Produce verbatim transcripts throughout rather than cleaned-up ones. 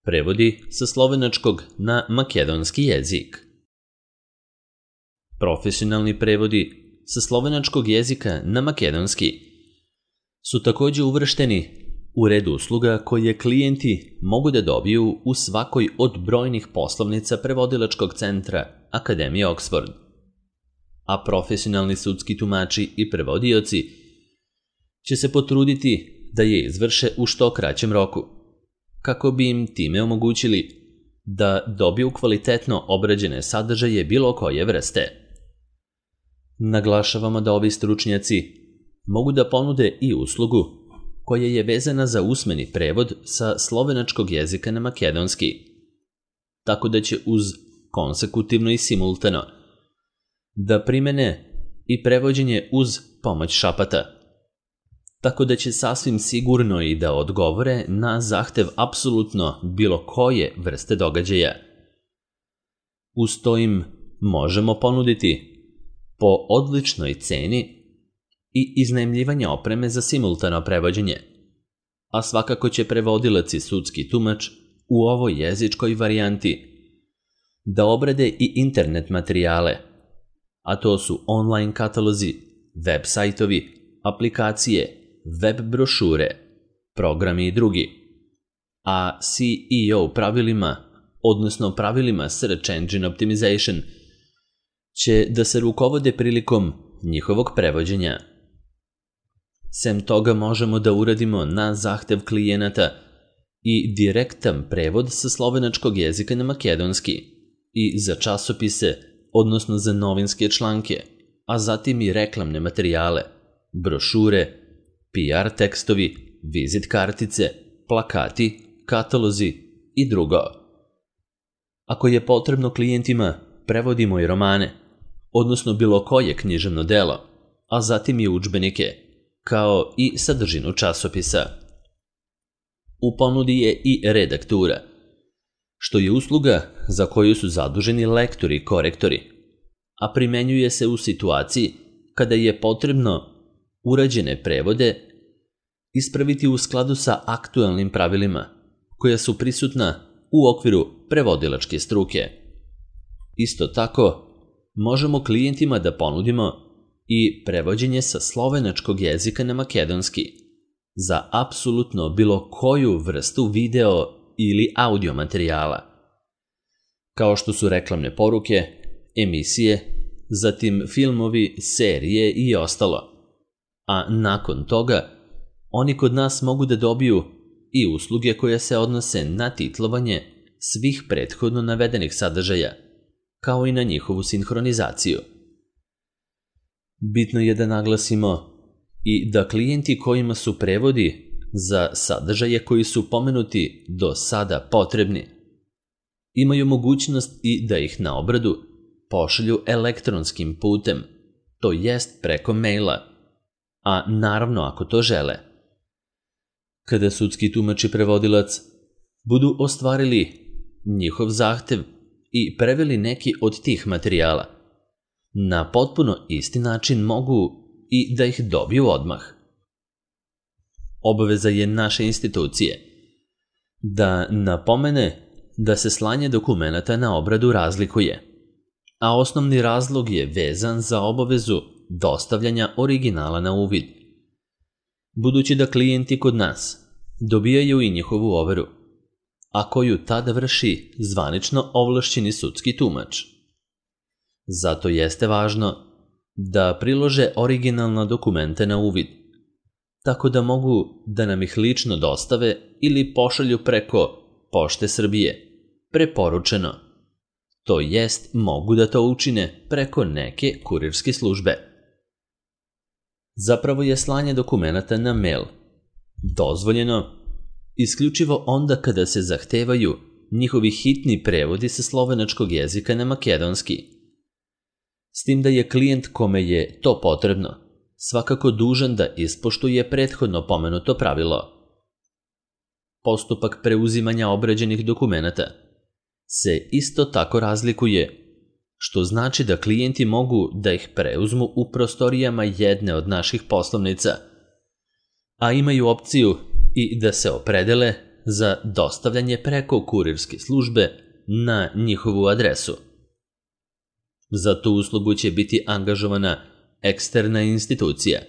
Prevodi sa slovenačkog na makedonski jezik. Profesionalni prevodi sa slovenačkog jezika na makedonski su takođe uvršteni u red usluga koje klijenti mogu da dobiju u svakoj od brojnih poslovnica prevodilačkog centra Akademije Oxford. A profesionalni sudski tumači i prevodioci će se potruditi da je izvrše u što kraćem roku, kako bi im time omogućili da dobiju kvalitetno obrađene sadržaje bilo koje vrste. Naglašavamo da ovi stručnjaci mogu da ponude i uslugu koja je vezana za usmeni prevod sa slovenačkog jezika na makedonski, tako da će uz konsekutivno i simultano da primene i prevođenje uz pomoć šapata, tako da će sasvim sigurno i da odgovore na zahtev apsolutno bilo koje vrste događaja. Uz to im možemo ponuditi po odličnoj ceni i iznajmljivanje opreme za simultano prevođenje, a svakako će prevodilac i sudski tumač u ovoj jezičkoj varijanti da obrade i internet materijale, a to su online katalozi, web sajtovi, aplikacije, web brošure, programi i drugi, a C E O pravilima, odnosno pravilima Search Engine Optimization, će da se rukovode prilikom njihovog prevođenja. Sem toga možemo da uradimo na zahtev klijenata i direktan prevod sa slovenačkog jezika na makedonski i za časopise, odnosno za novinske članke, a zatim i reklamne materijale, brošure, P R tekstovi, vizit kartice, plakati, katalozi i drugo. Ako je potrebno klijentima, prevodimo i romane, odnosno bilo koje književno delo, a zatim i udžbenike, kao i sadržinu časopisa. U ponudi je i redaktura, što je usluga za koju su zaduženi lektori i korektori, a primenjuje se u situaciji kada je potrebno urađene prevode ispraviti u skladu sa aktuelnim pravilima koja su prisutna u okviru prevodilačke struke. Isto tako, možemo klijentima da ponudimo i prevođenje sa slovenačkog jezika na makedonski za apsolutno bilo koju vrstu video ili audio materijala, kao što su reklamne poruke, emisije, zatim filmovi, serije i ostalo. A nakon toga, oni kod nas mogu da dobiju i usluge koje se odnose na titlovanje svih prethodno navedenih sadržaja, kao i na njihovu sinhronizaciju. Bitno je da naglasimo i da klijenti kojima su prevodi za sadržaje koji su pomenuti do sada potrebni imaju mogućnost i da ih na obradu pošalju elektronskim putem, to jest preko maila, a naravno ako to žele. Kada sudski tumač i prevodilac budu ostvarili njihov zahtev i preveli neki od tih materijala, na potpuno isti način mogu i da ih dobiju odmah. Obaveza je naše institucije da napomene da se slanje dokumenata na obradu razlikuje, a osnovni razlog je vezan za obavezu dostavljanja originala na uvid, budući da klijenti kod nas dobijaju i njihovu overu, a koju tada vrši zvanično ovlašćeni sudski tumač. Zato jeste važno da prilože originalna dokumenta na uvid, tako da mogu da nam ih lično dostave ili pošalju preko Pošte Srbije, preporučeno, to jest mogu da to učine preko neke kurirske službe. Zapravo je slanje dokumenata na mail dozvoljeno isključivo onda kada se zahtevaju njihovi hitni prevodi sa slovenačkog jezika na makedonski, s tim da je klijent kome je to potrebno svakako dužan da ispoštuje prethodno pomenuto pravilo. Postupak preuzimanja obrađenih dokumenata se isto tako razlikuje, što znači da klijenti mogu da ih preuzmu u prostorijama jedne od naših poslovnica, a imaju opciju i da se opredele za dostavljanje preko kurirske službe na njihovu adresu. Za tu uslugu će biti angažovana eksterna institucija,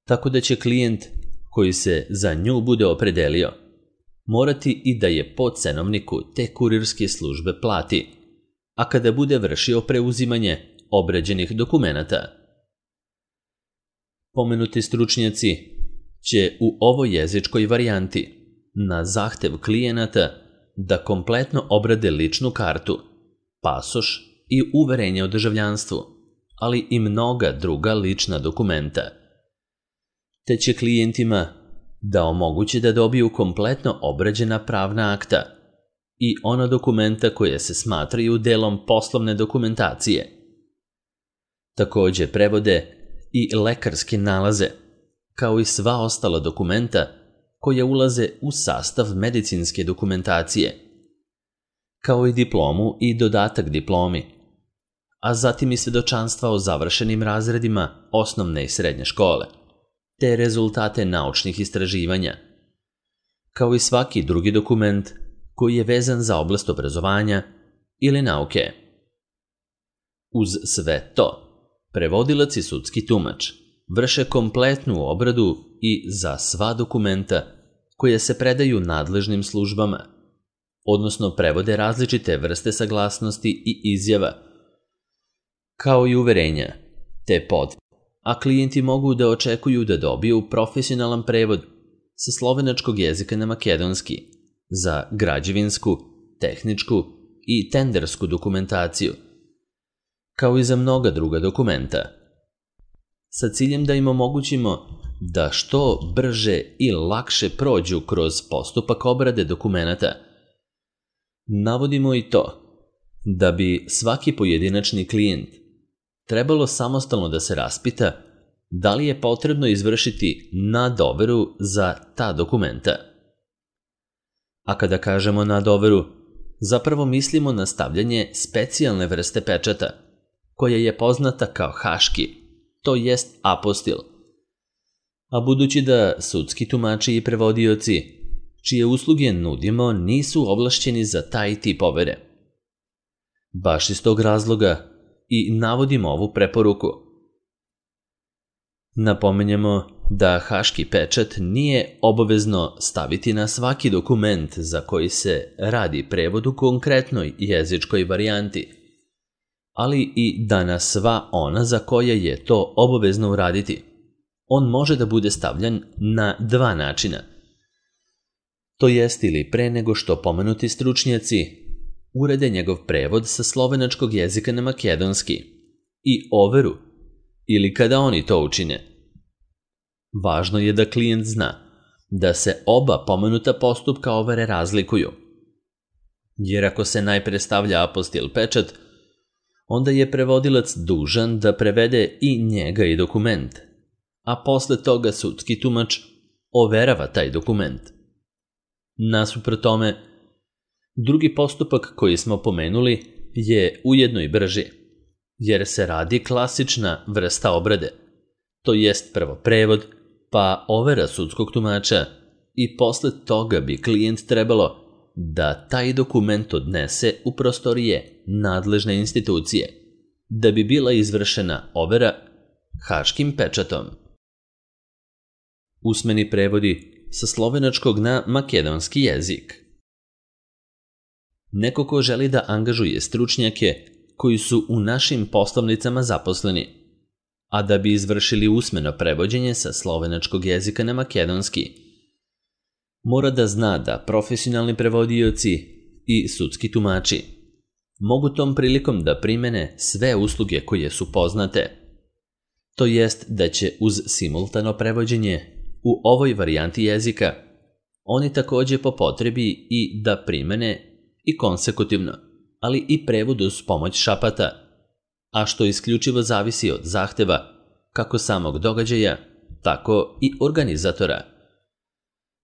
tako da će klijent koji se za nju bude opredelio morati i da je po cenovniku te kurirske službe plati, a kada bude vršio preuzimanje obrađenih dokumenata. Pomenuti stručnjaci će u ovoj jezičkoj varijanti na zahtev klijenata da kompletno obrade ličnu kartu, pasoš i uverenje o državljanstvu, ali i mnoga druga lična dokumenta. Te će klijentima da omoguće da dobiju kompletno obrađena pravna akta i ona dokumenta koje se smatraju delom poslovne dokumentacije. Takođe prevode i lekarske nalaze, kao i sva ostala dokumenta koje ulaze u sastav medicinske dokumentacije, kao i diplomu i dodatak diplomi, a zatim i svedočanstva o završenim razredima osnovne i srednje škole, te rezultate naučnih istraživanja, kao i svaki drugi dokument koji je vezan za oblast obrazovanja ili nauke. Uz sve to, prevodilac i sudski tumač vrše kompletnu obradu i za sva dokumenta koje se predaju nadležnim službama, odnosno prevode različite vrste saglasnosti i izjava, kao i uverenja, te potvrde, a klijenti mogu da očekuju da dobiju profesionalan prevod sa slovenačkog jezika na makedonski za građevinsku, tehničku i tendersku dokumentaciju, kao i za mnoga druga dokumenta, sa ciljem da im omogućimo da što brže i lakše prođu kroz postupak obrade dokumenata. Navodimo i to da bi svaki pojedinačni klijent trebalo samostalno da se raspita da li je potrebno izvršiti nadoveru za ta dokumenta. A kada kažemo nadoveru, zapravo mislimo na stavljanje specijalne vrste pečata, koja je poznata kao haški, to jest apostil. A budući da sudski tumači i prevodioci, čije usluge nudimo, nisu ovlašćeni za taj tip overe. Baš iz tog razloga i navodimo ovu preporuku. Napomenjamo da haški pečat nije obavezno staviti na svaki dokument za koji se radi prevod u konkretnoj jezičkoj varijanti, ali i da na sva ona za koje je to obavezno uraditi. On može da bude stavljan na dva načina. To jest ili pre nego što pomenuti stručnjaci urede njegov prevod sa slovenačkog jezika na makedonski i overu, ili kada oni to učine. Važno je da klijent zna da se oba pomenuta postupka overe razlikuju, jer ako se najpre stavlja apostil pečat, onda je prevodilac dužan da prevede i njega i dokument, a posle toga sudski tumač overava taj dokument. Nasuprot tome, drugi postupak koji smo pomenuli je ujedno i brži, jer se radi klasična vrsta obrade, to jest prvo prevod, pa overa sudskog tumača i posle toga bi klijent trebalo da taj dokument odnese u prostorije nadležne institucije, da bi bila izvršena overa haškim pečatom. Usmeni prevodi sa slovenačkog na makedonski jezik. Neko ko želi da angažuje stručnjake koji su u našim poslovnicama zaposleni, a da bi izvršili usmeno prevođenje sa slovenačkog jezika na makedonski, mora da zna da profesionalni prevodioci i sudski tumači mogu tom prilikom da primene sve usluge koje su poznate, to jest da će uz simultano prevođenje u ovoj varijanti jezika oni takođe po potrebi i da primene i konsekutivno, ali i prevod uz pomoć šapata, a što isključivo zavisi od zahteva kako samog događaja, tako i organizatora.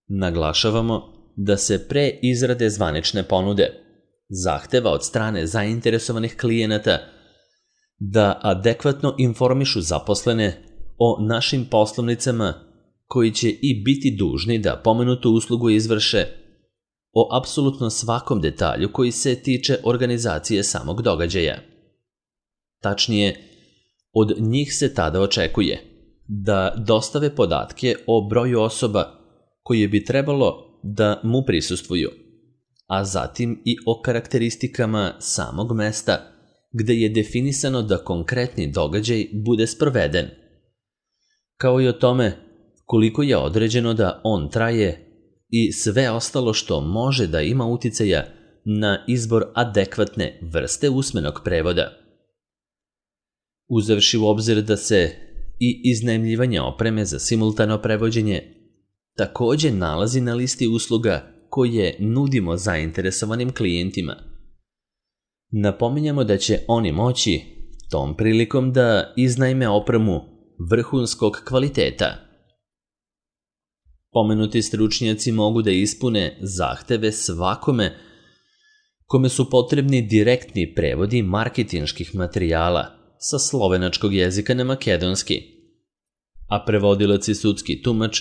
Naglašavamo da se pre izrade zvanične ponude zahteva od strane zainteresovanih klijenata da adekvatno informišu zaposlene o našim poslovnicama koji će i biti dužni da pomenutu uslugu izvrše o apsolutno svakom detalju koji se tiče organizacije samog događaja. Tačnije, od njih se tada očekuje da dostave podatke o broju osoba koje bi trebalo da mu prisustvuju, a zatim i o karakteristikama samog mesta gde je definisano da konkretni događaj bude sproveden, kao i o tome koliko je određeno da on traje i sve ostalo što može da ima uticaja na izbor adekvatne vrste usmenog prevoda. Uzevši u obzir da se i iznajmljivanje opreme za simultano prevođenje takođe nalazi na listi usluga koje nudimo zainteresovanim klijentima, napominjamo da će oni moći tom prilikom da iznajme opremu vrhunskog kvaliteta. Pomenuti stručnjaci mogu da ispune zahteve svakome kome su potrebni direktni prevodi marketinških materijala sa slovenačkog jezika na makedonski, a prevodilac i sudski tumač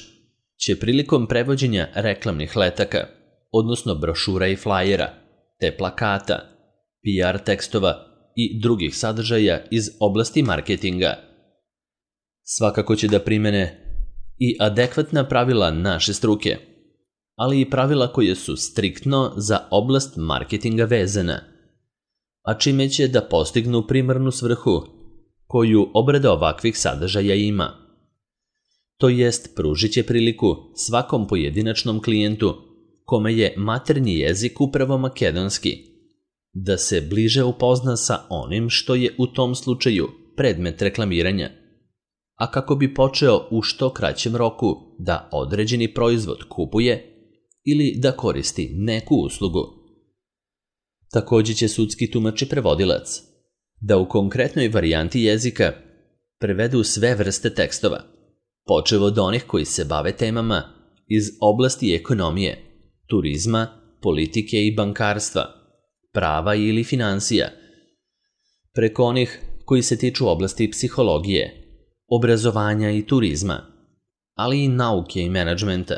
će prilikom prevođenja reklamnih letaka, odnosno brošura i flajera, te plakata, P R tekstova i drugih sadržaja iz oblasti marketinga. Svakako će da primene i adekvatna pravila naše struke, ali i pravila koje su striktno za oblast marketinga vezana, a čime će da postignu primarnu svrhu koju obrada ovakvih sadržaja ima. To jest, pružit će priliku svakom pojedinačnom klijentu kome je maternji jezik upravo makedonski, da se bliže upozna sa onim što je u tom slučaju predmet reklamiranja, a kako bi počeo u što kraćem roku da određeni proizvod kupuje ili da koristi neku uslugu. Takođe će sudski tumač i prevodilac da u konkretnoj varijanti jezika prevedu sve vrste tekstova, počev od onih koji se bave temama iz oblasti ekonomije, turizma, politike i bankarstva, prava ili finansija, preko onih koji se tiču oblasti psihologije, obrazovanja i turizma, ali i nauke i menadžmenta,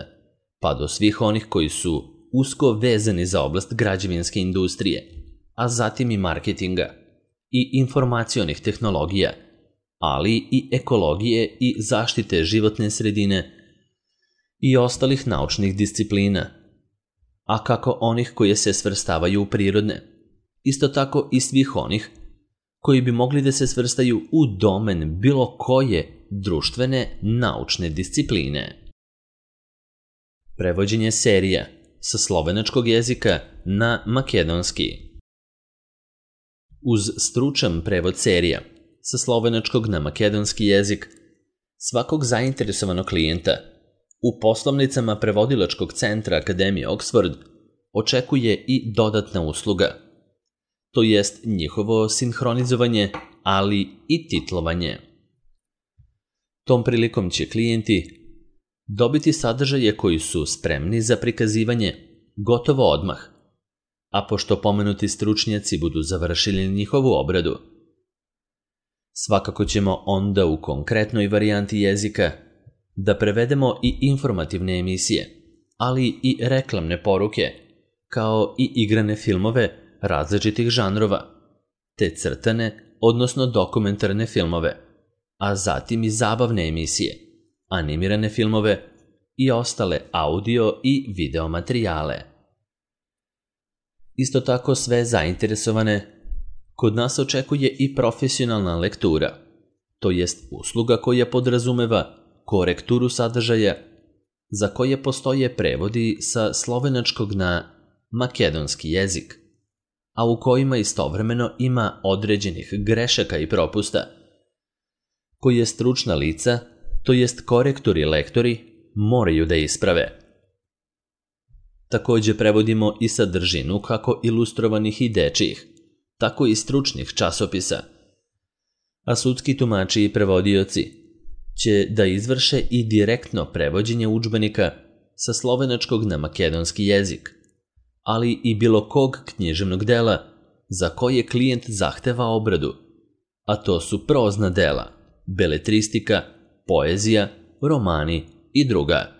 pa do svih onih koji su usko vezani za oblast građevinske industrije, a zatim i marketinga i informacionih tehnologija, ali i ekologije i zaštite životne sredine i ostalih naučnih disciplina, a kako onih koje se svrstavaju u prirodne, isto tako i svih onih koji bi mogli da se svrstaju u domen bilo koje društvene naučne discipline. Prevođenje serija sa slovenačkog jezika na makedonski. Uz stručan prevod serija sa slovenačkog na makedonski jezik svakog zainteresovanog klijenta u poslovnicama prevodilačkog centra Akademije Oxford očekuje i dodatna usluga, to jest njihovo sinhronizovanje, ali i titlovanje. Tom prilikom će klijenti dobiti sadržaje koji su spremni za prikazivanje gotovo odmah, a pošto pomenuti stručnjaci budu završili njihovu obradu, svakako ćemo onda u konkretnoj varijanti jezika da prevedemo i informativne emisije, ali i reklamne poruke, kao i igrane filmove različitih žanrova, te crtane, odnosno dokumentarne filmove, a zatim i zabavne emisije, animirane filmove i ostale audio i video materijale. Isto tako sve zainteresovane kod nas očekuje i profesionalna lektura, to jest usluga koja podrazumeva korekturu sadržaja za koje postoje prevodi sa slovenačkog na makedonski jezik, a u kojima istovremeno ima određenih grešaka i propusta, koje stručna lica, to jest korektori i lektori, moraju da isprave. Takođe prevodimo i sadržinu kako ilustrovanih i dečijih, tako i stručnih časopisa, a sudski tumači i prevodioci će da izvrše i direktno prevođenje udžbenika sa slovenačkog na makedonski jezik, ali i bilo kog književnog dela za koje klijent zahteva obradu, a to su prozna dela, beletristika, poezija, romani i druga.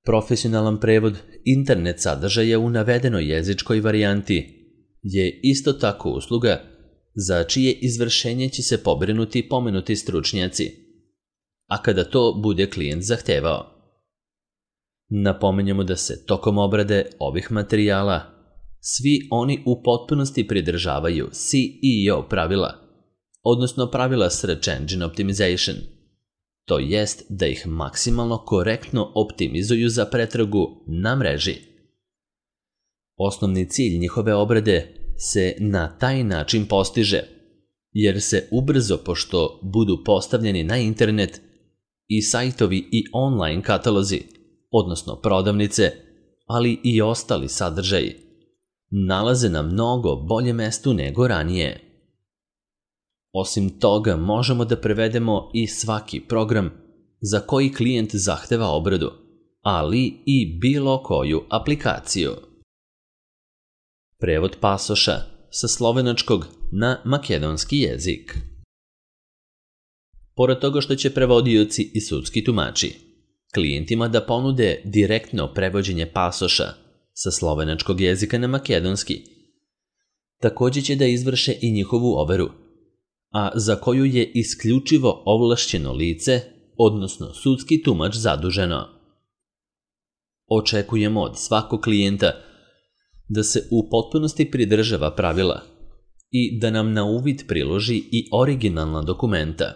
Profesionalan prevod internet sadržaja u navedenoj jezičkoj varijanti je isto tako usluga za čije izvršenje će se pobrinuti pomenuti stručnjaci, a kada to bude klijent zahtevao. Napominjemo da se tokom obrade ovih materijala svi oni u potpunosti pridržavaju C E O pravila, odnosno pravila Search Engine Optimization, to jest da ih maksimalno korektno optimizuju za pretragu na mreži. Osnovni cilj njihove obrade se na taj način postiže, jer se ubrzo, pošto budu postavljeni na internet, i sajtovi i online katalozi, odnosno prodavnice, ali i ostali sadržaji, nalaze na mnogo bolje mestu nego ranije. Osim toga, možemo da prevedemo i svaki program za koji klijent zahteva obradu, ali i bilo koju aplikaciju. Prevod pasoša sa slovenačkog na makedonski jezik. Pored toga što će prevodioci i sudski tumači klijentima da ponude direktno prevođenje pasoša sa slovenačkog jezika na makedonski, također će da izvrše i njihovu overu, a za koju je isključivo ovlašćeno lice, odnosno sudski tumač zaduženo. Očekujemo od svakog klijenta da se u potpunosti pridržava pravila i da nam na uvid priloži i originalna dokumenta,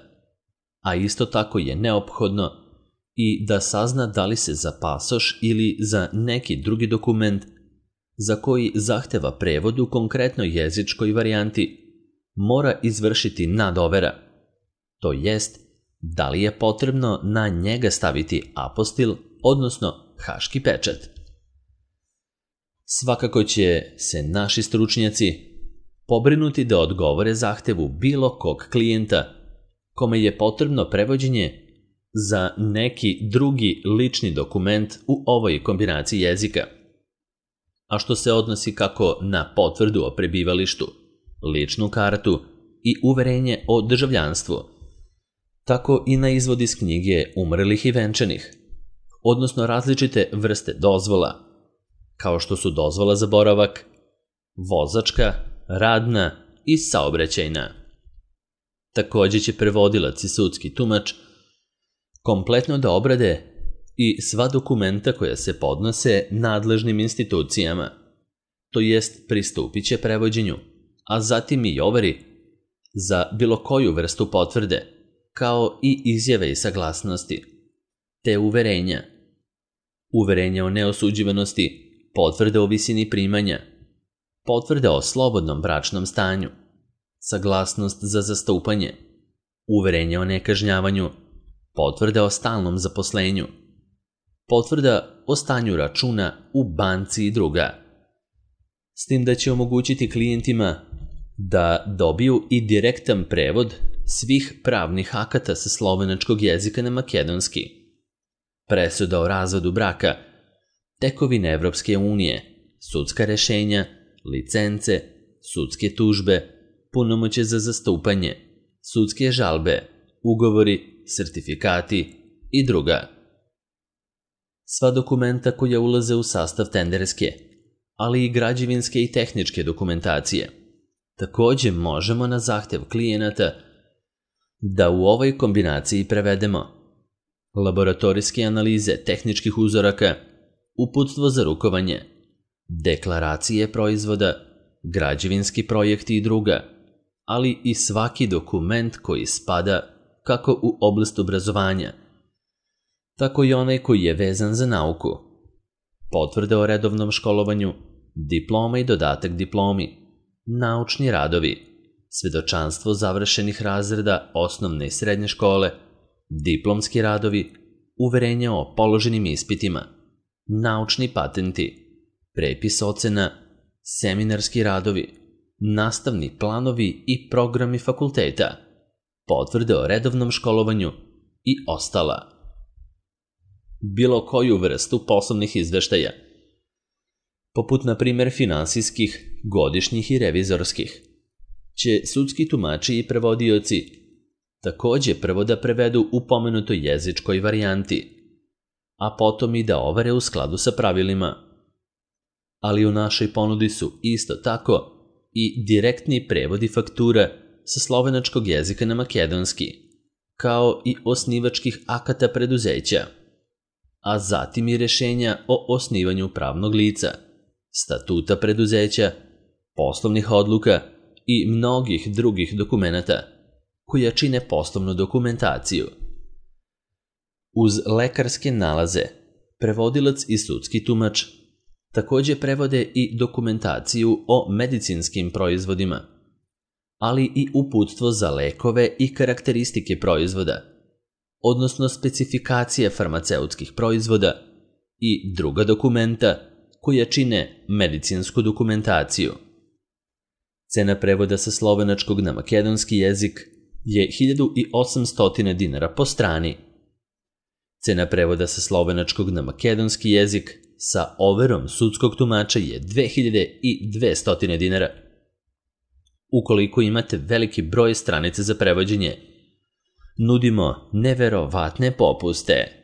a isto tako je neophodno i da sazna da li se za pasoš ili za neki drugi dokument za koji zahteva prevod u konkretnoj jezičkoj varijanti mora izvršiti nadovera, to jest da li je potrebno na njega staviti apostil, odnosno haški pečat. Svakako će se naši stručnjaci pobrinuti da odgovore zahtevu bilo kog klijenta kome je potrebno prevođenje za neki drugi lični dokument u ovoj kombinaciji jezika, a što se odnosi kako na potvrdu o prebivalištu, ličnu kartu i uverenje o državljanstvu, tako i na izvod iz knjige umrlih i venčanih, odnosno različite vrste dozvola, kao što su dozvola za boravak, vozačka, radna i saobraćajna. Također će prevodilac i sudski tumač kompletno da obrade i sva dokumenta koja se podnose nadležnim institucijama, to jest pristupit će prevođenju, a zatim i overi za bilo koju vrstu potvrde, kao i izjave i saglasnosti, te uverenja, uverenja o neosuđivanosti, potvrde o visini primanja, potvrde o slobodnom bračnom stanju, saglasnost za zastupanje, uverenje o nekažnjavanju, potvrda o stalnom zaposlenju, potvrda o stanju računa u banci i druga. S tim da će omogućiti klijentima da dobiju i direktan prevod svih pravnih akata sa slovenačkog jezika na makedonski, presuda o razvodu braka, tekovine Evropske unije, sudska rešenja, licence, sudske tužbe, punomoćje za zastupanje, sudske žalbe, ugovori, sertifikati i druga. Sva dokumenta koja ulaze u sastav tenderske, ali i građevinske i tehničke dokumentacije, također možemo na zahtev klijenata da u ovoj kombinaciji prevedemo laboratorijske analize tehničkih uzoraka, uputstvo za rukovanje, deklaracije proizvoda, građevinski projekti i druga, ali i svaki dokument koji spada kako u oblast obrazovanja, tako i onaj koji je vezan za nauku, potvrde o redovnom školovanju, diploma i dodatak diplomi, naučni radovi, svedočanstvo završenih razreda osnovne i srednje škole, diplomski radovi, uverenja o položenim ispitima, naučni patenti, prepis ocena, seminarski radovi, nastavni planovi i programi fakulteta, potvrde o redovnom školovanju i ostala. Bilo koju vrstu poslovnih izveštaja, poput na primjer finansijskih, godišnjih i revizorskih, će sudski tumači i prevodioci također prvo da prevedu u pomenutoj jezičkoj varijanti, a potom i da ovare u skladu sa pravilima. Ali u našoj ponudi su isto tako i direktni prevodi faktura sa slovenačkog jezika na makedonski, kao i osnivačkih akata preduzeća, a zatim i rešenja o osnivanju pravnog lica, statuta preduzeća, poslovnih odluka i mnogih drugih dokumenata koja čine poslovnu dokumentaciju. Uz lekarske nalaze, prevodilac i sudski tumač takođe prevode i dokumentaciju o medicinskim proizvodima, ali i uputstvo za lekove i karakteristike proizvoda, odnosno specifikacije farmaceutskih proizvoda i druga dokumenta koja čine medicinsku dokumentaciju. Cena prevoda sa slovenačkog na makedonski jezik je hiljadu osamsto dinara po strani. Cena prevoda sa slovenačkog na makedonski jezik sa overom sudskog tumača je dve hiljade dvesta dinara. Ukoliko imate veliki broj stranica za prevođenje, nudimo neverovatne popuste.